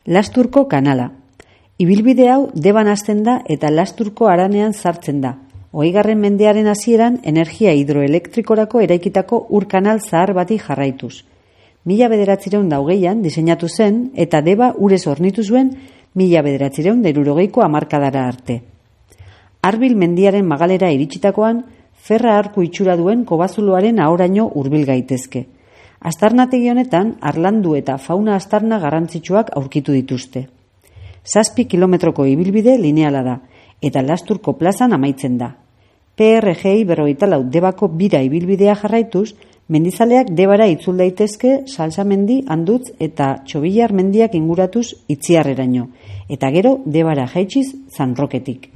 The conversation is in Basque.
Lasturko kanala. Ibilbide hau Deban hasten da eta Lasturko haranean sartzen da. 20. mendearen hasieran energia hidroelektrikorako eraikitako ur-kanal zahar bati jarraituz. 1920an diseinatu zen eta Deba urez hornitu zuen 1960ko hamarkadara arte. Arbil mendiaren magalera iritsitakoan, ferra arku itxura duen kobazuloaren ahoraino hurbil gaitezke. Aztarnategi honetan, harlandu eta fauna aztarna garrantzitsuak aurkitu dituzte. 7 kilometroko ibilbide lineala da, eta Lasturko plazan amaitzen da. PRGI 44 Debako bira ibilbidea jarraituz, mendizaleak Debara itzul daitezke Salsamendi, Andutz eta Txobillar mendiak inguratuz Itziarreraino, eta gero Debara jaitsiz San Roketik.